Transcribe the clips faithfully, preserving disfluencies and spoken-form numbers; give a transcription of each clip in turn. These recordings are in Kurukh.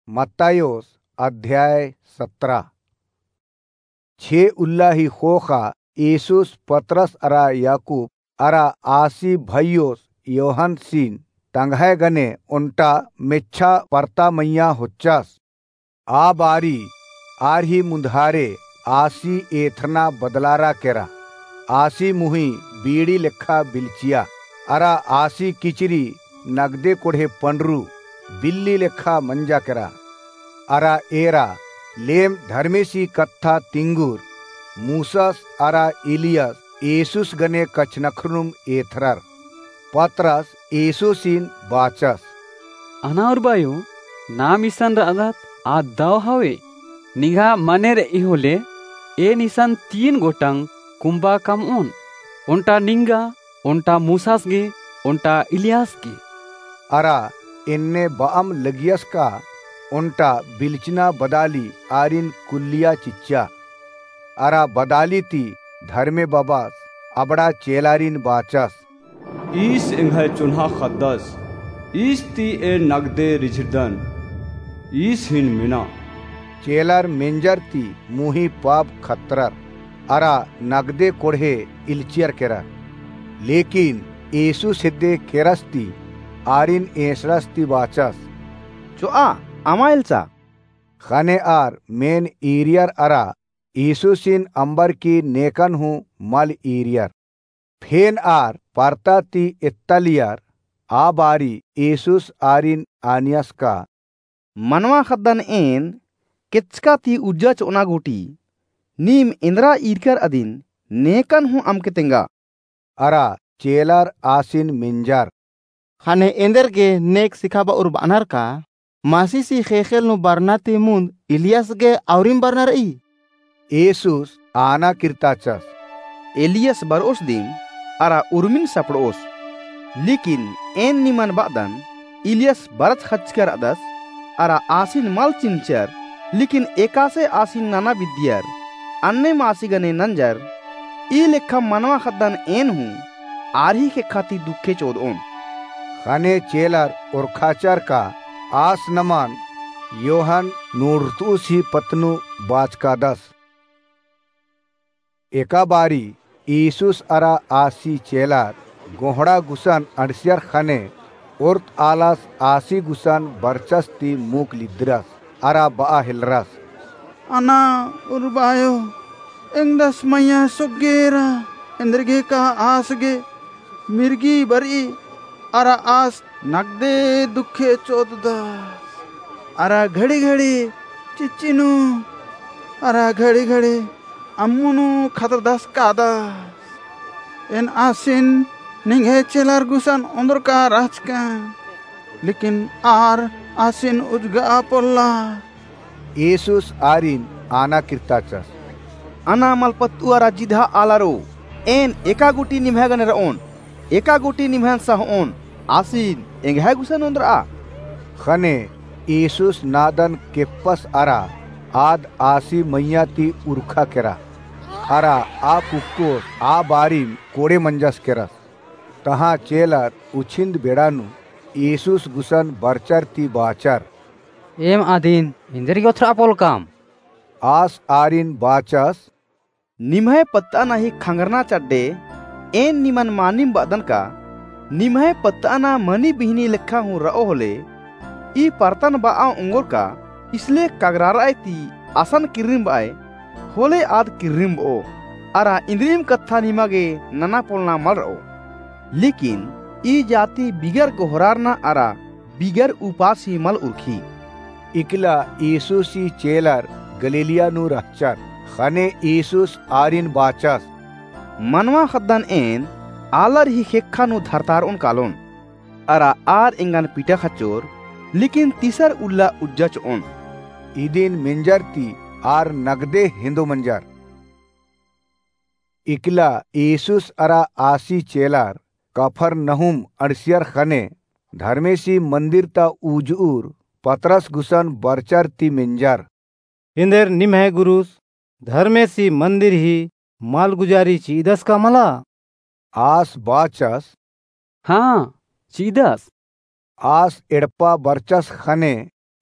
मत्तायोस अध्याय सतरा। छे उल्ला ही ख़ोख़ा येसूस पतरस अरा याकूब अरा आसी भइयोस योहनसिन तंग्है गने ओन्टा मेच्छा परता मइय्याँ होच्चस। आ बारी आर ही मुन्धारे आसी एथरना बदलारा केरा। आसी मुही बीड़ी लेखा बिलचिया, अरा आसी किचरी नगदे कोड़हे पंडरू बिल्ली लेखा मंजा केरा। अरा एरा लेम धर्मेसी कत्था तिंगुर मूसस अरा इलियस येसूस गने कछनख्रनुम एथरर। पतरस येसूसिन बाचस, अना उरबायो, नाम इसन रअदत आ दव हवे। निंगा मने रई होले, एन इसन तीन गोटंग कुम्बा कमओन, ओन्टा निंगा, ओन्टा मूसस गे, ओन्टा इलियस गे। अरा एन्ने बअम लगियस का ओन्टा बिलचना बदाली आरिन कुल्लिया चिच्चा। अरा बदाली ती धर्मे बबस अबड़ा चेलारिन बाचस, ईस एंग्है चोन्हा ख़द्दस, ईस ती एन नगदे रिझिरदन, ईस हिन मेना। चेलर मेंजर ती मुही पाप खतरर, अरा नगदे कोड़हे इलचियर केरर। लेकिन येसूस हेद्दे केरस ती आरिन एंसड़स ती बाचस, चोआ, अमा एल्चा। ख़ने आर मेन ईरियर अरा येसूसिन अम्बर की नेकन हूँ मल ईरियर। फेन आर परता ती एत्तालियर। आ बारी येसूस आरिन आनियस का, मनवा ख़द्दन एन केचका ती उज्जा चोअना गूटी नीम एन्दरा ईरकर अदिन नेकन हूँ अमके तेंगा। अरा चेलर आसिन मेंजर, ख़ने एन्देरगे नेक सिखाबअर बअनर का? मसीसी ख़ेख़ेल नू बरना ती मुन्द इलियस गे आउरिम बरना रई? येसूस आना किर्ताचस, एलियस बरओस दिम अरा उर्मिन सपड़ओस, लेकिन एन निमन बअदन, इलियस बरच ख़च्चकर रअदस, अरा आसिन मल चिन्हचर, लेकिन एकासे आसिन नना बिद्दियर, अन्नेम आसी गने नंजर। ई लेखा मनवा ख़द्दन एन हूँ आर ही ख़ेक्खा ती दुखे चोदओन। ख़ने चेलर ओरखाचर का आस नमन योहन नूड़तुस ही पत्त नू बाचकादस। एका बारी येसूस अरा आसी चेलर गोहड़ा गुसन अंड़सियर ख़ने ओर्त आलस आसी गुसन बरचस ती मुख लिद्दरस अरा बआ हेलरस, अना उर्बायो, एंगदस मइय्याँ सोग्गे एरा, एन्देरगे का आस गे मिर्गी बरई अरा आस नगदे दुखे चोददस। अरा घड़ी घड़ी चिच्ची नू अरा घड़ी घड़ी अम्मु नू खतरदस कादस। एन आसिन निंग्है चेलर गुसन ओन्दरका रहचकन, लेकिन आर आसिन उजगआ पोल्ला। येसूस आरिन आना किर्ताचस, अना मलपत्तु अरा जिधा आलारो, एन एका गूटी निम्है गने रओन, एका गूटी निम्है नसा होओन, आसिन एंग्है गुसन ओन्दरआ। ख़ने येसूस नादन केप्पस अरा आद आसी मइय्याँ ती उरखा केरा। अरा आ कुक्कोस आ बारिम कोड़े मंजस केरस। तहाँ चेलर उछिन्द बेड़ा नू येसूस गुसन बरचर ती बाचर, एम अदिन एन्देरगे ओथरआ पोलकम? आस आरिन बाचस, निम्है पत्तअना ही खंगरना चड्डे एन निमन मानिम बअदन का? निम्है पत्तअना मनी बिहनी लेखा हूँ रओ होले, ई परतन बआ ओंगोर का? इसले कगरारअय ती असन किर्रिम बअय, होले आद किर्रिम बओ, अरा इन्द्रिम कत्था निमा गे नना पोलना मल रओ। लेकिन ई जाति बिगर गोहरारना अरा बिगर उपास ही मल उरखी। इकला येसूसी चेलर गलीलिया नू रहचर। ख़ने येसूस आरिन बाचस, मनवा ख़द्दन एन आलर ही ख़ेक्खा नू धरतारओन कालोन, अरा आर एंगन पिटा ख़च्चोर, लेकिन तीसर उल्ला उज्जा चोओन। इदिन मेंजर ती आर नगदे हेंदो मंजर। इकला येसूस अरा आसी चेलर कफरनहूम अंड़सियर ख़ने धर्मेसी मन्दिर ता उजुर पतरस गुसन बरचर ती मेंजर, एन्देर निम्है गुरुस धर्मेसी मन्दिर ही मालगुजारी चिअदस का मला? आस बाचस, हाँ, चिअदस। आस एड़पा बरचस ख़ने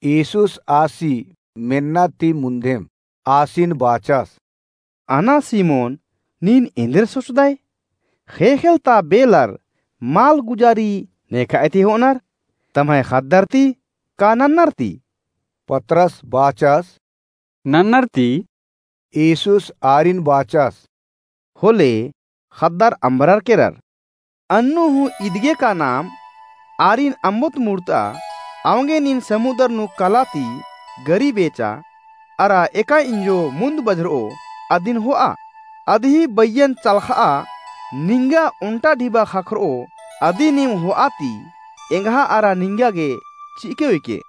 यीशुस आसी मेन्ना ती मुन्धेम आसिन बाचस, "अना सिमोन, नीन एन्देर सोचदय? ख़ेख़ेल ता बेलर माल गुजारी नेखअय ती होअनर, तम्है ख़द्दर ती का नन्नर ती?" पतरस बाचस, "नन्नर ती।" यीशुस आरिन बाचस, "होले ख़द्दर अम्बरर केरर। अन्नु हूँ इदगे का नाम आरिन अम्बोत मुड़ता, औंगे नीन समुदर नू कला ती गरी बेचा, अरा एका इंजो मुन्द बझरओ, अदिन होआ। अदही बइयन चलख़आ, निंगा ओन्टा ढिबा ख़क्खरओ, अदी नीम होआ ती एंग्हा अरा निंगा गे चिअके उइके।"